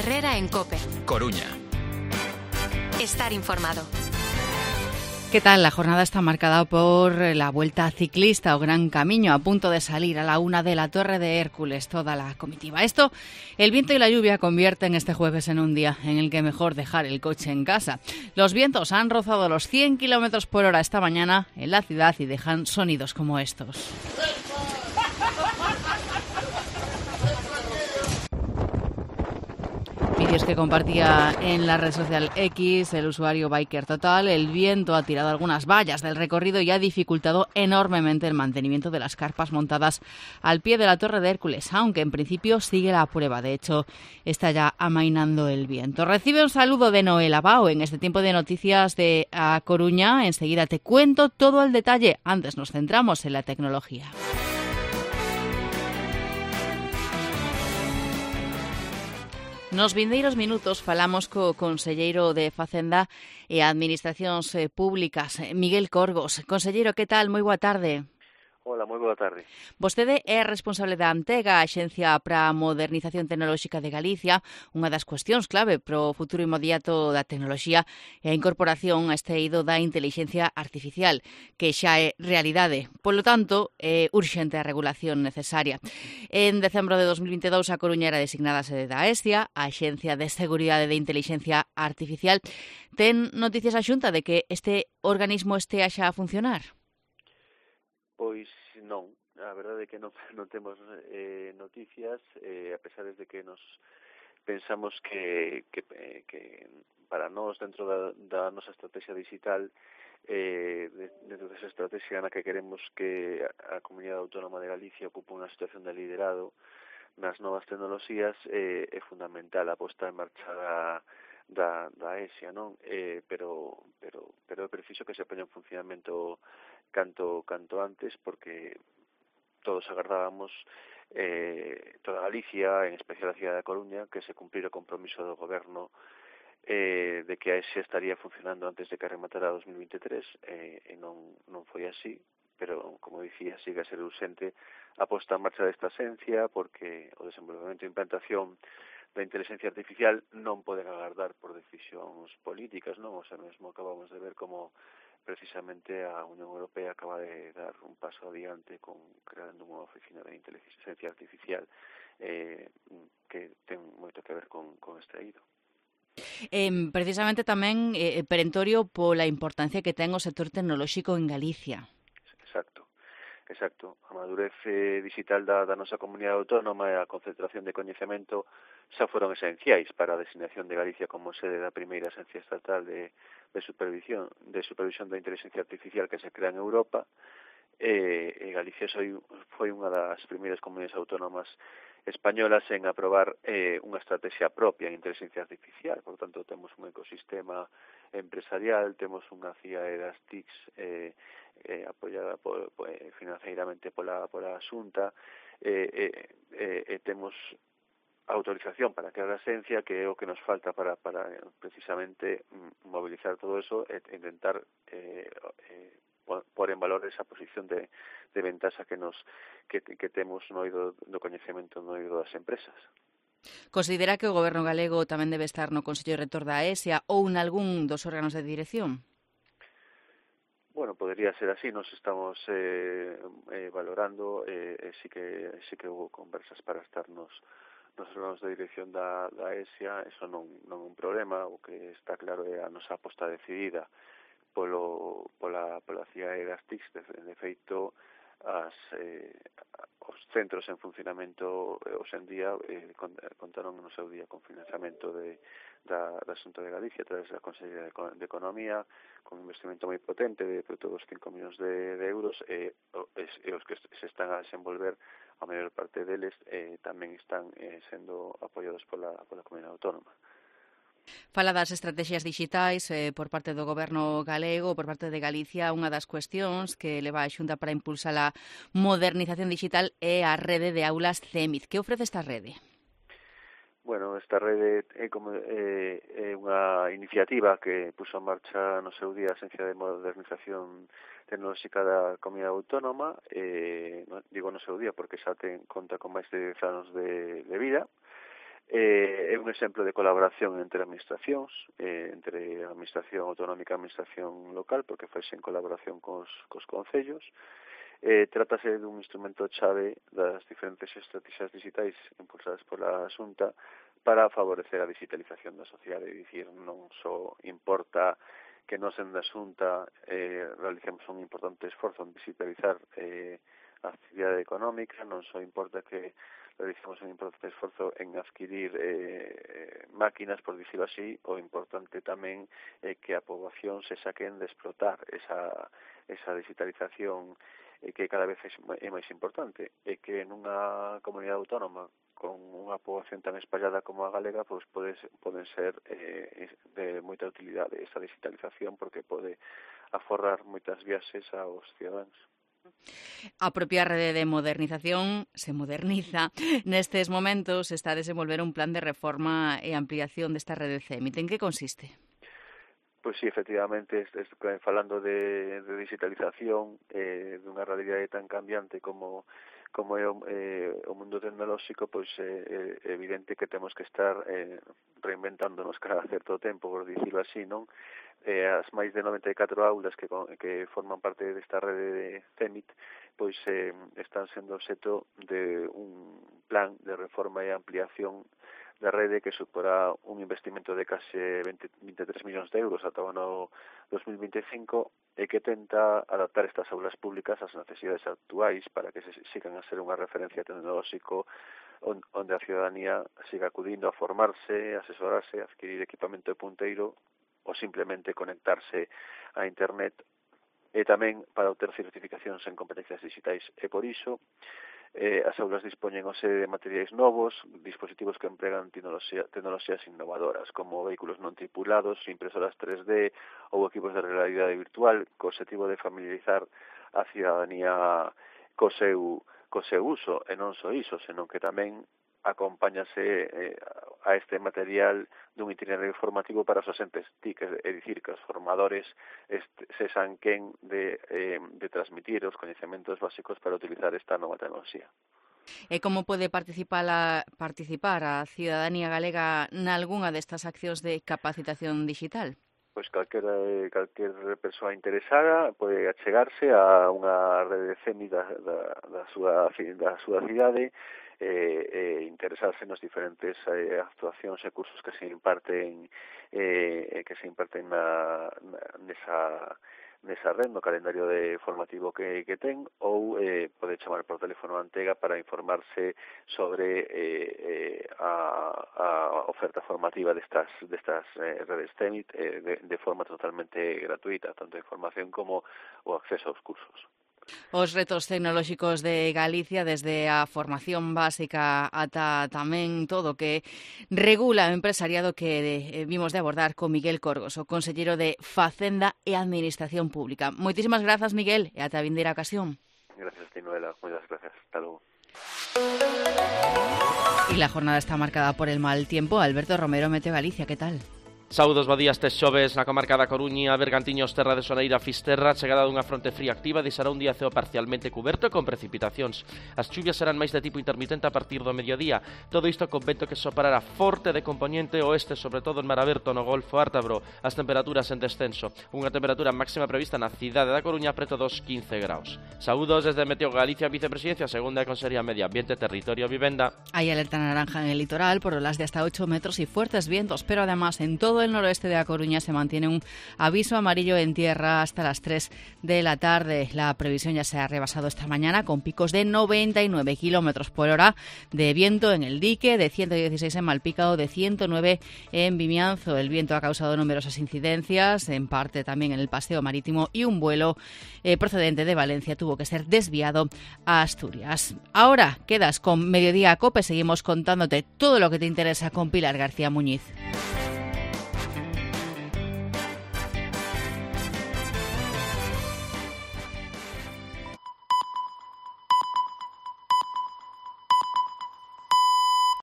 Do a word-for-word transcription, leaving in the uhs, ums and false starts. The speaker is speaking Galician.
Herrera en COPE. Coruña. Estar informado. ¿Qué tal? La jornada está marcada por la Vuelta Ciclista o Gran Camino, a punto de salir a la una de la Torre de Hércules, toda la comitiva. Esto, el viento y la lluvia convierten este jueves en un día en el que mejor dejar el coche en casa. Los vientos han rozado los cien kilómetros por hora esta mañana en la ciudad y dejan sonidos como estos. Vídeos que compartía en la red social X el usuario Biker Total. El viento ha tirado algunas vallas del recorrido y ha dificultado enormemente el mantenimiento de las carpas montadas al pie de la Torre de Hércules, aunque en principio sigue la prueba. De hecho, está ya amainando el viento. Recibe un saludo de Noel Abao en este tiempo de noticias de A Coruña. Enseguida te cuento todo el detalle. Antes nos centramos en la tecnología. Nos vindeiros minutos falamos co conselleiro de Facenda e Administracións Públicas, Miguel Corgos. Conselleiro, que tal? Moi boa tarde. Hola, moi boa tarde. Vostede é responsable da Antega, a Axencia para a Modernización Tecnolóxica de Galicia. Unha das cuestións clave para o futuro inmediato da tecnoloxía é a incorporación a este eido da intelixencia artificial, que xa é realidade. Polo tanto, é urxente a regulación necesaria. En decembro de dos mil vinte e dous, a Coruña era designada sede da AESIA, a Axencia de Seguridade de Intelixencia Artificial. Ten noticias a Xunta de que este organismo estea xa a funcionar? Pois non, a verdade é que non, non temos eh, noticias, eh, a pesar de que nos pensamos que, que, que para nós, dentro da, da nosa estrategia digital, eh, dentro desa estrategia na que queremos que a, a Comunidade Autónoma de Galicia ocupe unha situación de liderado nas novas tecnoloxías, eh, é fundamental a posta en marcha da da, da AESIA, non? Eh, pero, pero, pero é preciso que se poña en funcionamento canto canto antes, porque todos agardábamos, eh, toda Galicia, en especial a cidade da Coruña, que se cumplira o compromiso do goberno eh, de que a AESIA estaría funcionando antes de que rematara dos mil vinte e tres, eh, e non, non foi así, pero, como dicía, sigue a ser urxente a posta en marcha desta axencia, porque o desenvolvemento e implantación da inteligencia artificial non poden agardar por decisións políticas, non? O sea, mesmo acabamos de ver como precisamente a Unión Europea acaba de dar un paso adiante con creando unha oficina de inteligencia artificial eh, que ten moito que ver con, con este eido. Eh, precisamente tamén eh, perentorio pola importancia que ten o sector tecnolóxico en Galicia. Exacto. Exacto, a madurez eh, digital da, da nosa comunidade autónoma e a concentración de coñecemento xa foron esenciais para a designación de Galicia como sede da primeira agencia estatal de, de supervisión de supervisión da inteligencia artificial que se crea en Europa. E, e Galicia foi, foi unha das primeiras comunidades autónomas españolas en aprobar eh, unha estrategia propia en inteligencia artificial. Por tanto, temos un ecosistema empresarial, temos unha C I A E das T I Cs eh, eh, apoiada por, por, financeiramente pola, pola Xunta, eh, eh, eh, e temos autorización para crear a agencia, que é o que nos falta para, para precisamente mobilizar todo eso e intentar eh, eh, por en valor esa posición de, de ventaxa que nos que, que temos no eido do coñecemento no eido das empresas. Considera que o Goberno galego tamén debe estar no Consello Rector da AESIA ou en algún dos órganos de dirección? Bueno, podría ser así, nos estamos eh, eh, valorando, eh, eh, sí que sí que hubo conversas para estar nos, nos órganos de dirección da, da AESIA, eso non, non é un problema, o que está claro é a nosa aposta decidida polo, pola, pola C I A E das T I Cs, de, de feito, as, eh, os centros en funcionamento eh, hoxe en día eh, contaron no seu día con financiamento de, da, da Xunta de Galicia a través da Consellería de Economía, con un investimento moi potente de todos os cinco millóns de, de euros e, e os que se están a desenvolver, a maior parte deles eh, tamén están eh, sendo apoiados pola, pola Comunidade Autónoma. Fala das estrategias digitais eh, por parte do Goberno galego, por parte de Galicia. Unha das cuestións que leva a Xunta para impulsar a modernización digital é a rede de aulas CEMID. Que ofrece esta rede? Bueno, esta rede é como é, é unha iniciativa que puso en marcha no seu día a Agencia de Modernización Tecnolóxica da Comunidade Autónoma, eh, no, digo no seu día porque xa ten conta con máis de dez anos de, de vida. Eh, é un exemplo de colaboración entre administracións, eh, entre a administración autonómica e a administración local, porque faise en colaboración cos, cos concellos. Eh, trátase dun instrumento chave das diferentes estrategias digitais impulsadas pola Xunta para favorecer a digitalización da sociedade. É dicir, non só importa que nos en da Xunta eh, realicemos un importante esforzo en digitalizar eh, a actividade económica, non só importa que realicemos un importante esforzo en adquirir eh, máquinas, por dicirlo así, o importante tamén é eh, que a poboación se saquen de explotar esa, esa digitalización eh, que cada vez é máis importante, e que nunha comunidade autónoma con unha poboación tan espallada como a galega, pois pode, poden ser eh, de moita utilidade esa digitalización, porque pode aforrar moitas viaxes aos cidadáns. A propia rede de modernización se moderniza. Nestes momentos está a desenvolver un plan de reforma e ampliación desta rede CEMIT. En que consiste? Pois sí, efectivamente, es, es, falando de, de digitalización, eh, dunha realidade tan cambiante como como é o, eh, o mundo tecnolóxico, pois é eh, evidente que temos que estar eh, reinventándonos cada certo tempo, por dicirlo así, non? Eh, as máis de noventa e catro aulas que, que forman parte desta rede de CEMIT, pois eh, están sendo obxeto de un plan de reforma e ampliación da rede que suporá un investimento de case veinte, veintitrés millóns de euros ata o ano dos mil veinticinco, e que tenta adaptar estas aulas públicas ás necesidades actuais para que se sigan a ser unha referencia tecnolóxico onde a ciudadanía siga acudindo a formarse, a asesorarse, a adquirir equipamento de punteiro ou simplemente conectarse a internet, e tamén para obter certificacións en competencias digitais. E por iso, eh, as aulas dispoñen o sede de materiais novos, dispositivos que empregan tecnoloxía, tecnoloxías innovadoras, como vehículos non tripulados, impresoras tres D ou equipos de realidade virtual, co objetivo de familiarizar a ciudadanía co seu, co seu uso, e non só iso, senón que tamén acompáñase eh, a este material dun itinerario formativo para os asentes T I C, é dicir, que os formadores este, se sanquen de, eh, de transmitir os coñecementos básicos para utilizar esta nova tecnoloxía. E como pode participar a, participar a cidadanía galega nalgunha destas accións de capacitación digital? Pois calquera, calquer persoa interesada pode achegarse a unha rede de CEMIT da, da, da, súa, da súa cidade, e eh, interesarse nos diferentes eh, actuacións e cursos que se imparten eh, que se imparten na, na, nesa, nesa red, no calendario de formativo que, que ten, ou eh, pode chamar por teléfono a Antega para informarse sobre eh, eh, a, a oferta formativa destas, destas eh, redes CEMIT eh, de, de forma totalmente gratuita, tanto a información como o acceso aos cursos. Os retos tecnolóxicos de Galicia, desde a formación básica ata tamén todo o que regula o empresariado, que eh, vimos de abordar con Miguel Corgos, o conselleiro de Facenda e Administración Pública. Moitísimas grazas, Miguel, e ata a vindeira ocasión. Gracias, Tinuela. Moitas gracias. Hasta logo. Y la jornada está marcada por el mal tiempo. Alberto Romero, Meteo Galicia, ¿qué tal? Saúdos, bo día. Este xoves na comarca da Coruña, Bergantiños, Terra de Soneira, Fisterra, chegada dunha fronte fría activa, deixará un día ceo parcialmente cuberto e con precipitacións. As chuvias serán máis de tipo intermitente a partir do mediodía. Todo isto con vento que soparará forte de componente oeste, sobre todo en Mar Aberto, no Golfo Ártabro. As temperaturas en descenso. Unha temperatura máxima prevista na cidade da Coruña preto dos quince graus. Saúdos desde Meteo Galicia, Vicepresidencia, Segunda e Consellería Medio Ambiente, Territorio, Vivenda. Hay alerta naranja en el litoral por olas de hasta ocho metros y fuertes vientos, pero además en todo el noroeste de A Coruña se mantiene un aviso amarillo en tierra hasta las tres de la tarde. La previsión ya se ha rebasado esta mañana con picos de noventa y nueve kilómetros por hora de viento en el dique, de ciento dieciséis en Malpica o de ciento nueve en Vimianzo. El viento ha causado numerosas incidencias, en parte también en el paseo marítimo, y un vuelo eh, procedente de Valencia tuvo que ser desviado a Asturias. Ahora quedas con Mediodía Cope, seguimos contándote todo lo que te interesa con Pilar García Muñiz.